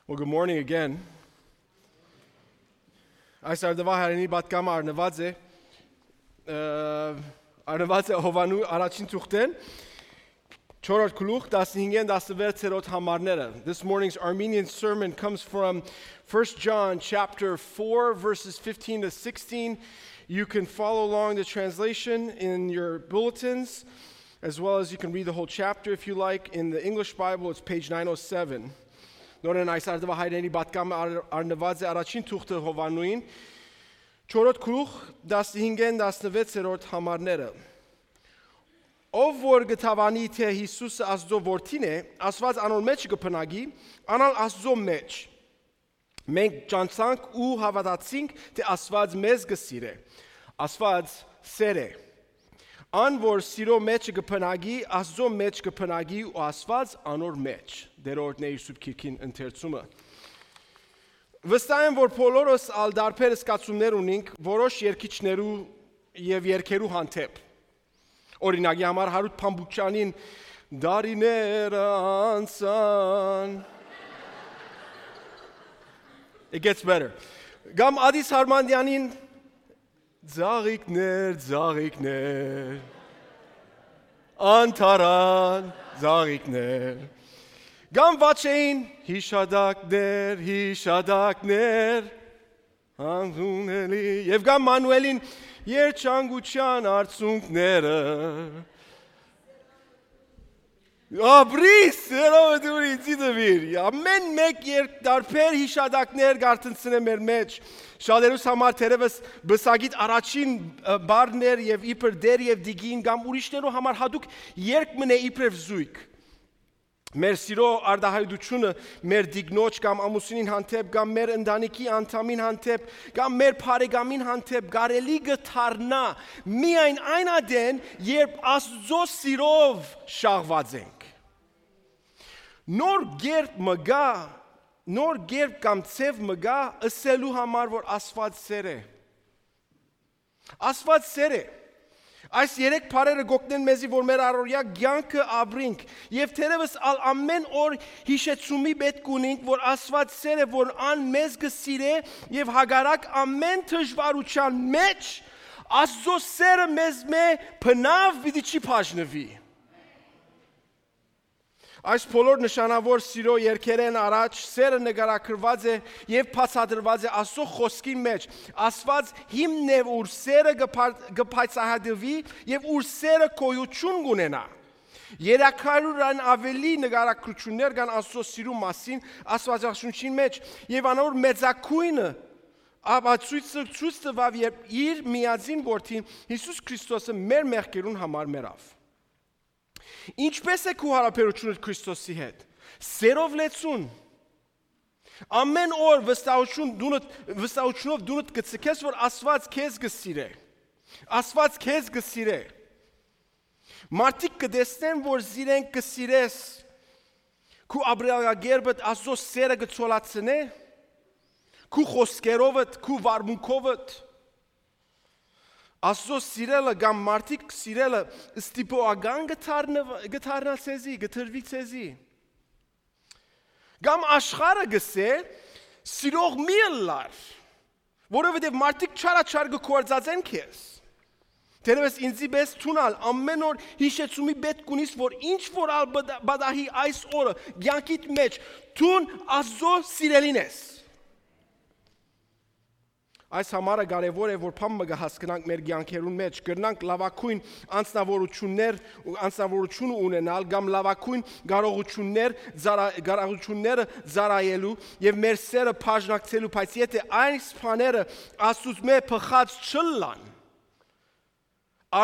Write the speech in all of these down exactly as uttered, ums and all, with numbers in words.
Well, good morning again. Այս արդուայ հայրենի պատգամը առնուած է, ը, առնուած է Յովհաննու առաջին թուղթէն, չորրորդ գլուխ, տասնհինգէն տասնվեցերորդ համարները։ This morning's Armenian sermon comes from First John chapter four, verses fifteen to sixteen. You can follow along the translation in your bulletins, as well as you can read the whole chapter if you like. In the English Bible, it's page nine oh seven. Նորեն այս արդուայ հայրենի պատգամը առ-, առնուած է առաջին թուղթը Յովհաննուին, չորրորդ գլուխ, տասնհինգէն տասնվեցերորդ համարները։ Ով որ կը դաւանի թէ Յիսուսը Աստուծոյ որդին է, Աստուած անոր մէջ կը բնակի, ան ալ Աստուծոյ մէջ։ Մենք ճանչցանք ու հաւատացինք թէ Աստուած մեզ կը սիրէ։ Աստուած սէր է։ Ան որ սիրոյ մէջ կը բնակի, Աստուծոյ մէջ կը բնակի ու Աստուած անոր մէջ։ Տէրը օրհնէ իր սուրբ գիրքին ընթերցումը։ Վստահ եմ, որ բոլորս ալ դարբեր զգացումներ ունինք որոշ երգիչներու եւ երգերու հանդէպ։ Օրինակի համար, Հարութ Փամբուկչյանին «Դարիներ անցան»։ It gets better. Կամ Ադիս Հարմանդյանին «Ձաղիկներ, ձաղիկներ, անթարան ձաղիկներ»։ Կամ Վաչեին «Յիշատակներ, յիշատակներ, անհունելի»։ Եւ կամ Մանուելին «Երջանկութեան արցունքները»։ Ապրի, սերովը դուրի, ձի դվիր։ Ամեն մեկ երկ դարբեր յիշատակներ կ'արթնցնէ մեր մեջ։ Շատերուս համար թերևս բսագիտ առաջին, ը, բառն էր եւ իբր դեր եւ դիգին կամ ուրիշներու համար հատուկ երկ մնէ իբրեւ զույգ։ Մեր սիրո արտահայտությունը մեր դիգնոջ կամ ամուսինին հանդէպ կամ մեր ընտանիքի անդամին հանդէպ կամ մեր բարեկամին հանդէպ կարելի կը դառնայ միայն այն ատեն, երբ Աստուծոյ սիրով շաղուած ենք։ Նոր կերպ մը կայ, նոր կերպ կամ ձեւ մը կայ ըսելու համար, որ Աստուած սէր է։ Աստուած սէր է։ Այս երեք բառերը կ'օգնեն մեզի, որ մեր առօրեայ կեանքը ապրինք, եւ թերեւս ալ ամեն օր յիշեցումի պէտք ունինք, որ Աստուած սէր է, որ ան մեզ կը սիրէ, եւ հակառակ ամեն դժուարութեան մէջ Աստուծոյ սէրը մեզմէ բնաւ պիտի չի բաժնուի։ Այս բոլոր նշանաւոր սիրո երգերէն առաջ սէրը նկարագրուած է եւ բացատրուած է Աստուծոյ խօսքին մէջ։ Աստուած հիմն է, ուր սէրը կը փար-, կը բացահայտուի եւ ուր սէրը գոյութիւն կ'ունենայ։ Երեք հարիւրէն աւելի նկարագրութիւններ կան Աստուծոյ սիրուն մասին Աստուածաշունչին մէջ, եւ անոր մեծագոյնը ապացոյցը ցոյց տուաւ, երբ իր միածին որդին Յիսուս Քրիստոսը մեր մեղքերուն համար մեռաւ։ Ինչպե՞ս է քու յարաբերութիւնդ Քրիստոսի հետ։ Սերով լեցուն։ Ամեն օր վստահություն դունդ, վստահությունով դունդ կը ցկես, որ Աստուած քեզ կը սիրէ։ Աստուած քեզ կը սիրէ։ Մարդիկ կը տեսնեն, որ զիրենք կը սիրես։ Քու ապրելակերպդ Աստուծոյ սէրը կը ցոլացնէ, քու խօսքերովդ, քու վարմունքովդ։ Աստուծոյ սիրելը կամ մարդիկ սիրելը ստիպողական կը դառնա, կը դառնա ցեզի, կը տրուի ցեզի։ Կամ աշխարհը կ'ըսէ, «Սիրող մի ըլլար, որովհետեւ մարդիկ չարաչար կը գործածեն քեզ»։ Թերեւս ինձի պէս դուն ալ ամեն օր յիշեցումի պէտք ունիս, որ ինչ որ ալ բդ-, բադահի այս օրը, կեանքիդ մէջ, դուն Աստուծոյ սիրելին ես։ Այս համարը կարեւոր է, որ բան մը կը հասկնանք մեր կեանքերուն մէջ, կրնանք լավագոյն անձնավորություններ ու անձնավորությունը ունենալ կամ լավագոյն կարողություններ ծառա-, կարողությունները ծառայելու եւ մեր սերը բաժնակցելու, բայց եթե այս բաները Աստուծմէ բխած չըլլան,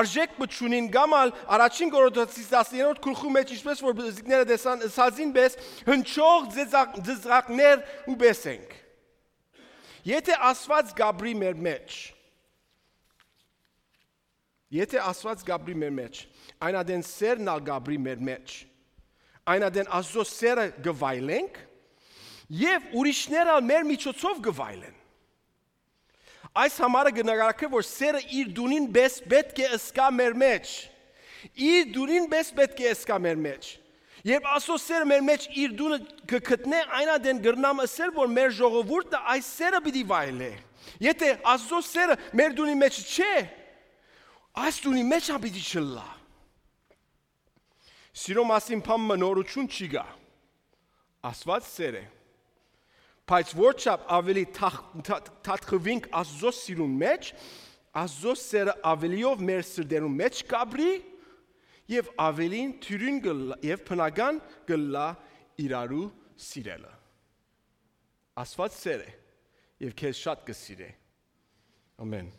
արժէք մը չունին կամ ալ առաջին Կորինթացիս տասներորդ գլխու մէջ, ինչպես որ բզիկները տեսան, ըսածին պէս հնչող ձեծակ-, ձեծակներ ու պէս ենք։ Եթե Աստուած կապրի մեր մէջ, եթե Աստուած կապրի մեր մէջ, այն ատեն սերն ալ կապրի մեր մէջ, այն ատեն Աստուծոյ սերը կը վայելենք եւ ուրիշներ ալ մեր միջոցով կը վայելեն։ Այս համարը կը նկարագրէ, որ սերը իր դունին պէս պէտք է ըսկայ մեր մէջ։ Իր դունին պէս պէտք է ըսկայ մեր մէջ։ Երբ Աստուծոյ սէրը մեր մէջ իր տունը կը գտնէ, այն ատեն կրնամ ըսել, որ մեր ժողովուրդը այս սէրը պիտի վայելէ։ Եթէ Աստուծոյ սէրը մեր տունի մէջ չէ, այս տունի մէջ ալ պիտի չըլլայ։ Սիրո մասին բան մը նորութիւն չի գայ։ Աստուած սէր է։ Բայց որչափ աւելի թախ-, թա-, թաթխուինք Աստուծոյ սիրուն մէջ, Աստուծոյ սէրը աւելիով մեր սրտերուն մէջ կ'ապրի եւ աւելին թիւրին կ'ըլլայ եւ բնական կ'ըլլայ իրարու սիրելը։ Աստուած սէր է եւ քեզ շատ կը սիրէ։ Ամեն։